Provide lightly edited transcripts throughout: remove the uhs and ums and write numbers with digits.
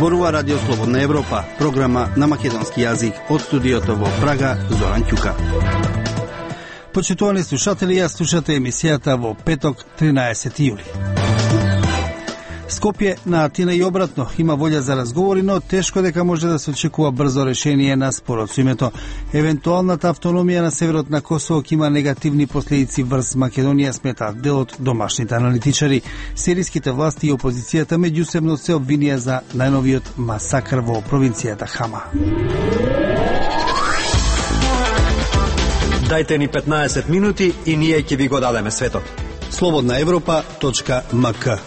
Зборува Радио Слободна Европа, програма на македонски јазик од студиото во Прага, Зоран Ќука. Почитувани слушатели, ја слушате емисијата во петок, 13 јули. Скопје на Атина и обратно има волја за разговори, но тешко дека може да се очекува брзо решение на спорот со името. Евентуалната автономија на северот на Косово има негативни последици врз Македонија, сметаат дел од домашните аналитичари. Сириските власти и опозицијата меѓусебно се обвинија за најновиот масакр во провинцијата Хама. Дајте ни 15 минути и ние ќе ви го дадеме светот. slobodnaevropa.mk.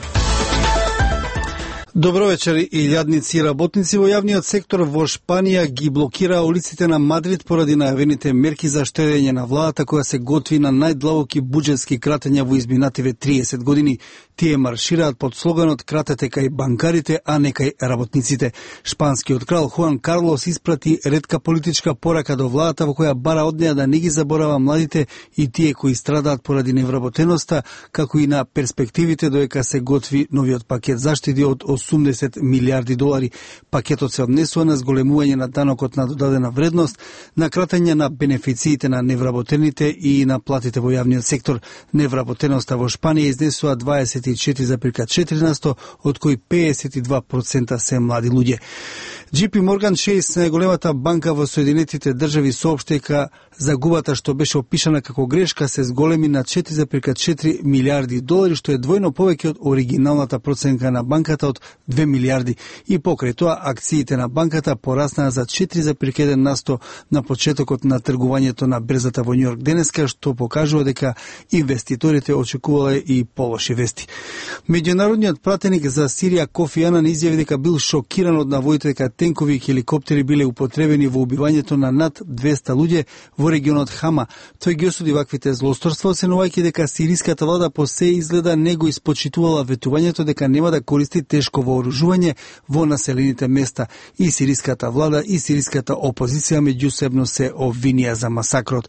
Добро вечер, илјадници работници во јавниот сектор во Шпанија ги блокира улиците на Мадрид поради најавените мерки за штедење на владата која се готви на најдлабоки буџетски кратења во изминативе 30 години. Тие маршираат под слоганот "Кратете кај банкарите, а не кај работниците". Шпанскиот крал Хуан Карлос испрати ретка политичка порака до владата во која бара од неа да не ги заборава младите и тие кои страдаат поради невработеноста, како и на перспективите додека се готви новиот пакет заштеди од 80 милиарди долари. Пакетот се однесува на зголемување на данокот на додадена вредност, на кратење на бенефициите на невработените и на платите во јавниот сектор. Невработеноста во Шпанија изнесува 24,4%, од кои 52% се млади луѓе. JP Morgan Chase, најголемата банка во Соединетите држави, соопшти дека загубата што беше опишана како грешка се зголеми на 4,4 милиарди долари, што е двојно повеќе од оригиналната проценка на банката од 2 милиарди. И покрај тоа, акциите на банката пораснаа за 4,1% на почетокот на тргувањето на берзата во Њујорк денеска, што покажува дека инвеститорите очекувале и полоши вести. Меѓународниот пратеник за Сирија Кофи Анан изјави дека бил шокиран од наводите дека тенкови и хеликоптери биле употребени во убивањето на над 200 луѓе во регионот Хама. Тој ги осуди ваквите злосторства, оценувајќи дека сириската влада по се изгледа не го испочитувала ветувањето дека нема да користи тешко вооружување во населените места. И сириската влада и сириската опозиција меѓусебно се обвинија за масакрот.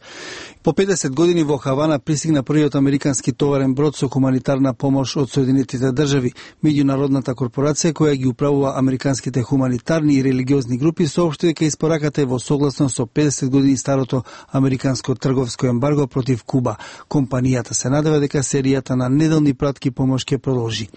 По 50 години во Хавана пристигна првиот американски товарен брод со хуманитарна помош од Соединетите држави. Меѓународната корпорација која ги управува американските хуманитарни и религиозни групи соопшти дека испораката е во согласно со 50 години старото американско трговско ембарго против Куба. Компанијата се надева дека серијата на неделни пратки помош ќе продолжи.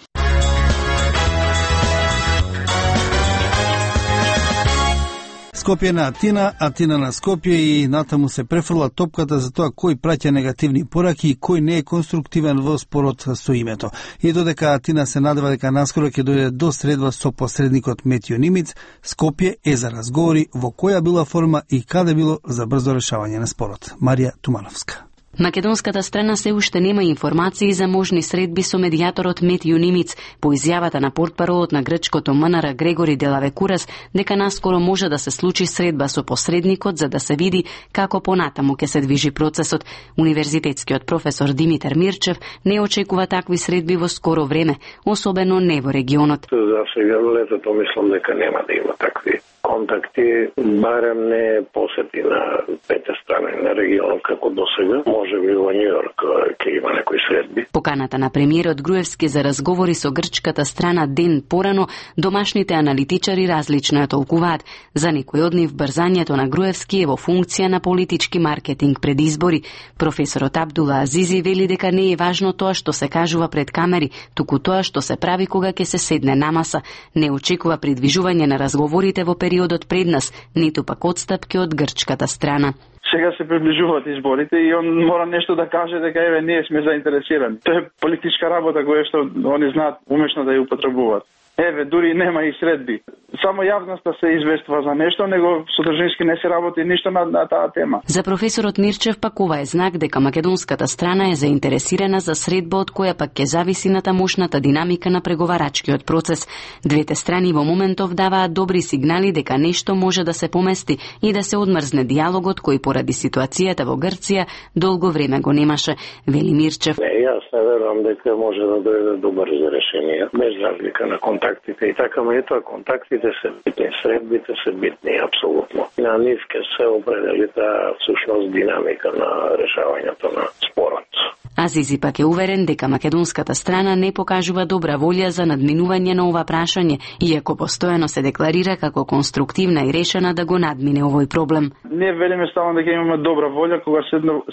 Скопје на Атина, Атина на Скопје и натаму се префрла топката за тоа кој праќа негативни пораки и кој не е конструктивен во спорот со името. И додека Атина се надева дека наскоро ќе дојде до средба со посредникот Метјо Нимиц, Скопје е за разговори во која била форма и каде било за брзо решавање на спорот. Марија Тумановска. Македонската страна се уште нема информации за можни средби со медијаторот Метјо Нимиц по изјавата на портпаролот на грчкото МНР Грегори Делавекурас дека наскоро може да се случи средба со посредникот за да се види како понатаму ќе се движи процесот. Универзитетскиот професор Димитар Мирчев не очекува такви средби во скоро време, особено не во регионот. За сега летото мислам дека нема да има такви контакти, барем не посети на пете страни на регионот како досега. Може би во Њујорк ќе има некои средби. Поканата на премиерот Груевски за разговори со грчката страна ден порано, домашните аналитичари различно ја толкуваат. За некој од нив брзањето на Груевски е во функција на политички маркетинг пред избори. Професорот Абдула Азизи вели дека не е важно тоа што се кажува пред камери, туку тоа што се прави кога ќе се седне на маса. Не очекува придвижување на разговорите во периодот пред нас, ниту пак отстапки од грчката страна. Сега се приближуваат изборите и он мора нешто да каже дека еве ние сме заинтересирани. Тоа е политичка работа која што они знаат умешно да ја употребуваат. Еве, дури нема и средби. Само јавноста се известува за нешто, него содржински не се работи ништо на таа тема. За професорот Мирчев пак ова е знак дека македонската страна е заинтересирана за средба од која пак ќе зависи на тамошната динамика на преговарачкиот процес. Двете страни во моментов даваат добри сигнали дека нешто може да се помести и да се одмрзне диалогот кој поради ситуацијата во Грција долго време го немаше, вели Мирчев. Јас не верувам дека може да дојде до брзо решение, без разлика на контактите и така меѓутоа контактите се битни, средбите се битни апсолутно. На нив ќе се определи таа всушност динамика на решавањето на спорот. Азизи пак е уверен дека македонската страна не покажува добра волја за надминување на ова прашање, иако постојано се декларира како конструктивна и решена да го надмине овој проблем. Ние велиме ставам дека имаме добра волја, кога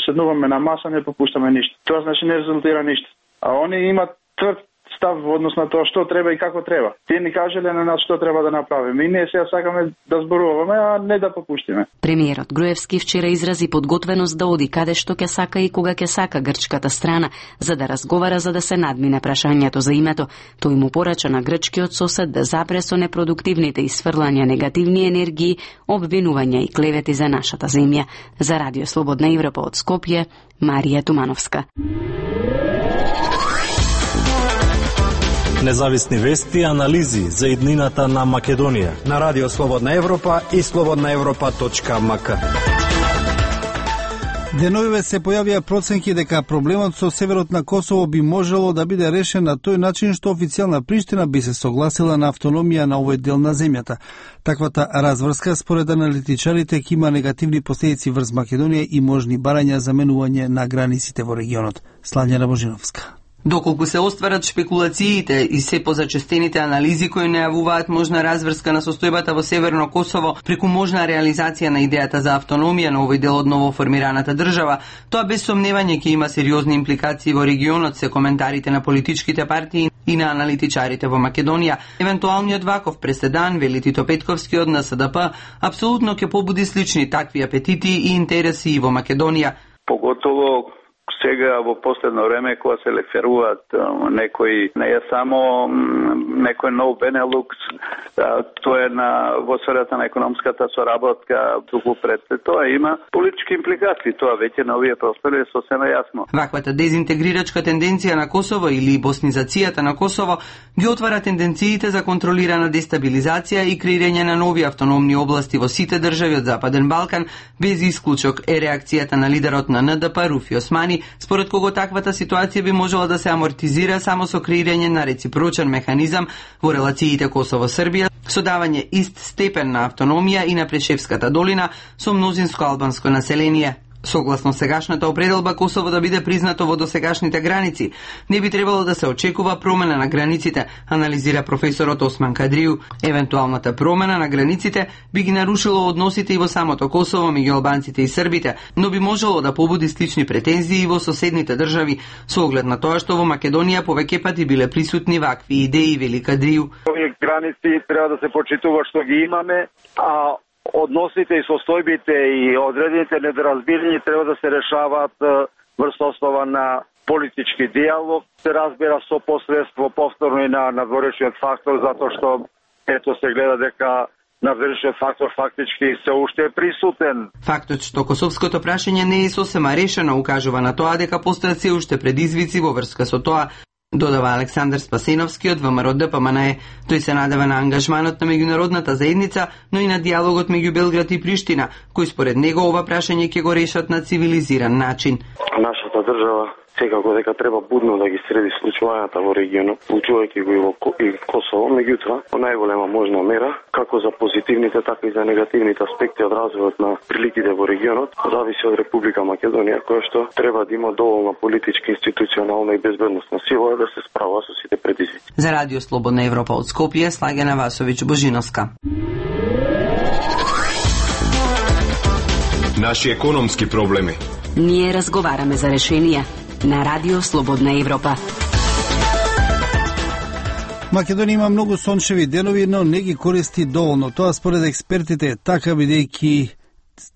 седнуваме на маса не попуштаме ништо. Тоа значи не резултира ништо. А они имат тврд став во однос на тоа што треба и како треба. Тие ни кажале на нас што треба да направиме. И ние сега сакаме да зборуваме, а не да попуштиме. Премиерот Груевски вчера изрази подготвеност да оди каде што ќе сака и кога ќе сака грчката страна, за да разговара за да се надмине прашањето за името. Тој му порача на грчкиот сосед да запре со непродуктивните исфрлања негативни енергии, обвинувања и клевети за нашата земја. За Радио Слободна Европа од Скопје, Марија Тумановска. Независни вести и анализи за иднината на Македонија на Радио Слободна Европа и slobodnaevropa.mk. Деновиве се појавија проценки дека проблемот со северот на Косово би можело да биде решен на тој начин што официјална Приштина би се согласила на автономија на овој дел на земјата. Таквата разврска според аналитичарите ќе има негативни последици врз Македонија и можни барања за менување на границите во регионот. Слањана Божиновска. Доколку се остварат шпекулациите и се позачестените анализи кои најавуваат можна разврска на состојбата во Северно Косово преку можна реализација на идејата за автономија на овој дел од новоформираната држава, тоа без сомневање ќе има сериозни импликации во регионот, се коментарите на политичките партии и на аналитичарите во Македонија. Евентуалниот ваков преседан, вели Тито Петковски од НСДП, апсолутно ќе побуди слични такви апетити и интереси и во Македонија. Поготово сега во последно време кога се реферуваат некои, не е само некој нов Бенелукс, тоа е во сферата на економската соработка, туку пред тоа има политички импликации, тоа веќе на овие простори е сосема јасно. Ваквата дезинтегрирачка тенденција на Косово или боснизацијата на Косово ги отвара тенденциите за контролирана дестабилизација и креирање на нови автономни области во сите држави од Западен Балкан, без исклучок е реакцијата на лидерот на НДП Руфи Османи, според кого таквата ситуација би можела да се амортизира само со креирање на реципрочен механизам во релациите Косово-Србија, со давање ист степен на автономија и на Прешевската долина со мнозинско албанско население. Согласно сегашната определба, Косово да биде признато во досегашните граници, не би требало да се очекува промена на границите, анализира професорот Осман Кадриу. Евентуалната промена на границите би ги нарушило односите и во самото Косово меѓу албанците и србите, но би можело да побуди слични претензии и во соседните држави, со оглед на тоа што во Македонија повеќе пати биле присутни вакви идеи, вели Кадриу. Овие граници треба да се почитува што ги имаме, а односите и состојбите и одредените недоразбирања треба да се решаваат врз основа на политички диалог, се разбира со посредство повторно и на надворешниот фактор, затоа што ето се гледа дека надворешниот фактор фактички се уште е присутен. Фактот што косовското прашање не е сосема решено укажува на тоа дека постојат се уште предизвици во врска со тоа, додава Александар Спасеновски од ВМРО ДПМНЕ. Тој се надева на ангажманот на меѓународната заедница, но и на диалогот меѓу Белград и Приштина, кој според него ова прашање ќе го решат на цивилизиран начин. Нашата држава секако дека треба будно да ги следи случувањата во регионот, вклучувајќи го и Косово, меѓутоа, во најголема можна мера, како за позитивните, така и за негативните аспекти од развојот на приликите во регионот, зависи од Република Македонија, која што треба да има доволна политичка, институционална и безбедносна сила да се справа со сите предизвици. За Радио Слободна Европа од Скопје, Слагена Васовиќ Божиновска. Наши економски проблеми. Ние разговараме за решенија на Радио Слободна Европа. Македонија има многу сончеви денови, но не ги користи доволно. Тоа според експертите е така, бидејќи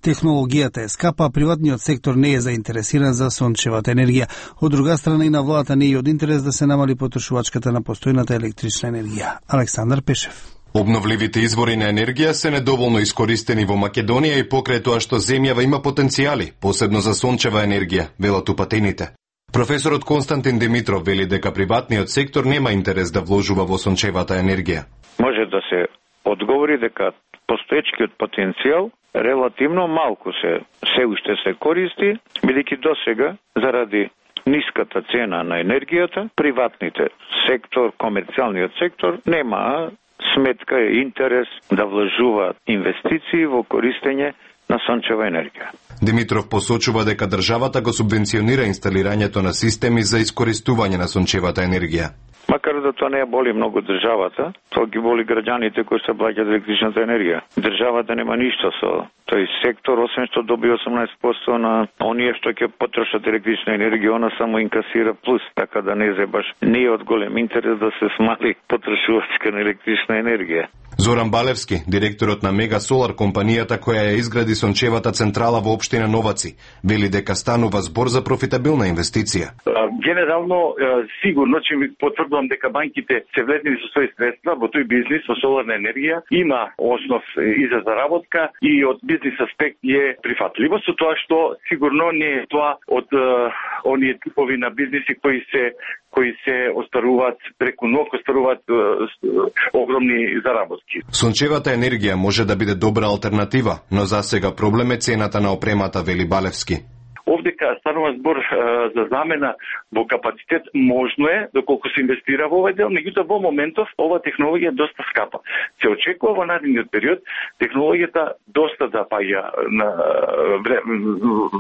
технологијата е скапа, приватниот сектор не е заинтересиран за сончевата енергија. Од друга страна и на владата не е од интерес да се намали потрошувачката на постојната електрична енергија. Александар Пешев. Обновливите извори на енергија се недоволно искористени во Македонија и покрај тоа што земјава има потенцијали, посебно за сончева енергија, велат упатените. Професорот Константин Димитров вели дека приватниот сектор нема интерес да вложува во сончевата енергија. Може да се одговори дека постоечкиот потенцијал релативно малку се уште се користи, бидејќи досега заради ниската цена на енергијата, приватните сектор, комерцијалниот сектор нема сметка и интерес да вложуваат инвестиции во користење на сончева енергија. Димитров посочува дека државата го субвенционира инсталирањето на системи за искористување на сончевата енергија. Макар да тоа не ја боли многу државата, тоа ги боли граѓаните кои се плаќаат електричната енергија. Државата нема ништо со тој сектор, освен што доби 18% на оние што ќе потрошат електрична енергија, она само инкасира плюс, така да не е баш не е од голем интерес да се смали потрошувачка на електрична енергија. Зоран Балевски, директорот на Мега Солар компанијата која ја изгради сончевата централа во општина Новаци, вели дека станува збор за профитабилна инвестиција. Генерално, сигурно ќе ми потврдувам дека банките се влезни со своји средства во тој бизнис со соларна енергија, има основ и за заработка и од бизнис аспект е прифатливо, со тоа што сигурно не е тоа од оние типови на бизниси кои се остаруваат преку ног, остаруваат огромни заработки. Сончевата енергија може да биде добра алтернатива, но засега проблем е цената на опремата, вели Балевски. Овдека станува збор за замена во капацитет, можно е, доколку се инвестира во овој дел, меѓутоа во моментов ова технологија е доста скапа. Се очекува во наредниот период технологијата доста да паѓа на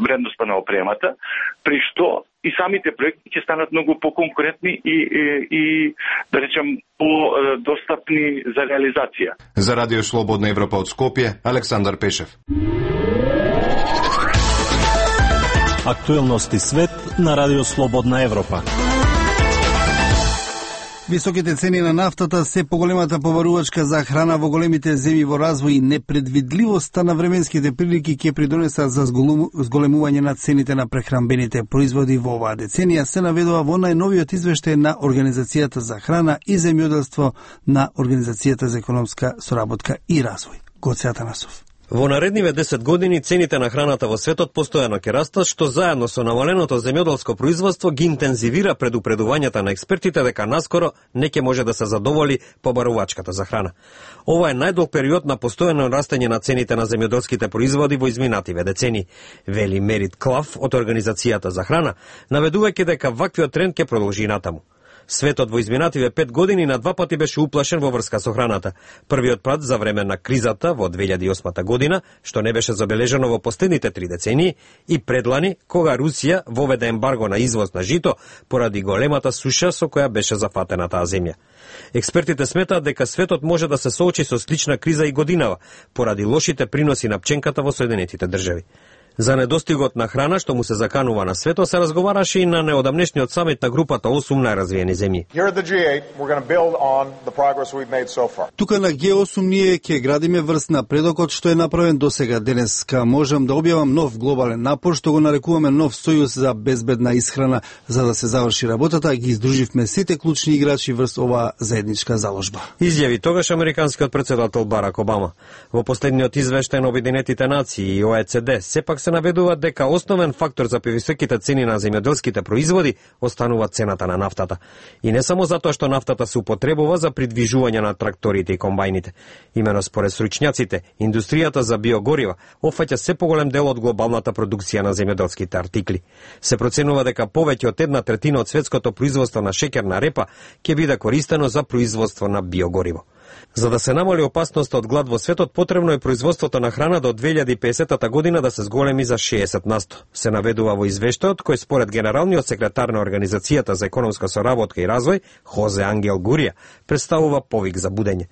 вредноста на опремата, при што и самите проекти ќе станат многу поконкурентни и да речем подостапни за реализација. За Радио Слободна Европа од Скопје, Александар Пешев. Актуелности свет на Радио Слободна Европа. Високите цени на нафтата се поголемата побарувачка за храна во големите земји во развој и непредвидливоста на временските прилики ќе придонесат за зголемување на цените на прехранбените производи во оваа деценија, се наведува во најновиот извештај на Организацијата за храна и земјоделство на Организацијата за економска соработка и развој. Гоце Атанасов. Во наредниве 10 години цените на храната во светот постојано ќе растат, што заедно со намаленото земјоделско производство ги интензивира предупредувањата на експертите дека наскоро не ќе може да се задоволи побарувачката за храна. Ова е најдолг период на постојано растење на цените на земјоделските производи во изминативе децени, вели Мерит Клав од Организацијата за храна, наведувајќи дека ваквиот тренд ќе продолжи натаму. Светот во изминативе 5 години на 2 пати беше уплашен во врска со храната. Првиот пат за време на кризата во 2008 година, што не беше забележано во последните 3 децении, и предлани кога Русија воведе ембарго на извоз на жито поради големата суша со која беше зафатена таа земја. Експертите сметаат дека светот може да се соочи со слична криза и годинава поради лошите приноси на пченката во Соединетите држави. За недостигот на храна што му се заканува на светот се разговараше и на неодамнешниот самит на групата 8 најразвиени земји. Тука на G8 ние ќе градиме врз напредокот што е направен досега. Денеска можам да објавам нов глобален напор што го нарекуваме нов сојуз за безбедна исхрана. За да се заврши работата, ги издруживме сите клучни играчи врз оваа заедничка заложба. Изјави тогаш американскиот претседател Барак Обама. Во последниот извештај на Обединетите нации и ОЕЦД сепак се наведува дека основен фактор за повисоките цени на земјоделските производи останува цената на нафтата. И не само затоа што нафтата се употребува за придвижување на тракторите и комбајните. Имено според стручњаците, индустријата за биогорива опфаќа се поголем дел од глобалната продукција на земјоделските артикли. Се проценува дека повеќе од 1/3 од светското производство на шеќерна репа ќе биде користено за производство на биогориво. За да се намали опасноста од глад во светот, потребно е производството на храна до 2050 година да се зголеми за 60%. Се наведува во извештајот кој според генералниот секретар на Организацијата за економска соработка и развој, Хозе Ангел Гурија, представува повик за будење.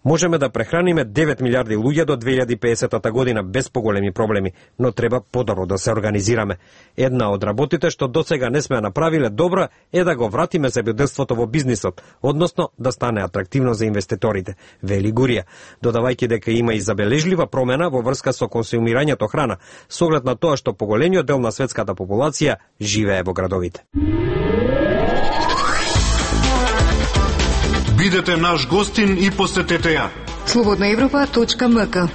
Можеме да прехраниме 9 милиарди луѓе до 2050 година без поголеми проблеми, но треба подобро да се организираме. Една од работите што досега не сме направиле добро е да го вратиме земјоделството во бизнисот, односно да стане атрактивно за инвеститорите, вели Гурија, додавајќи дека има и забележлива промена во врска со консумирањето храна, со оглед на тоа што поголемиот дел на светската популација живее во градовите. Бидете наш гостин и посетете ја. slobodnaevropa.mk.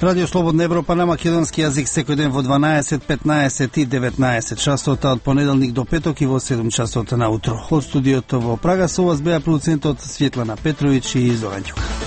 Радио Слободна Европа на македонски јазик секој ден во 12, 15 и 19 часот од понеделник до петок и во 7 часот наутро. Од студиото во Прага со вас беа продуцентот Светлана Петровиќ и Зоран Ѓука.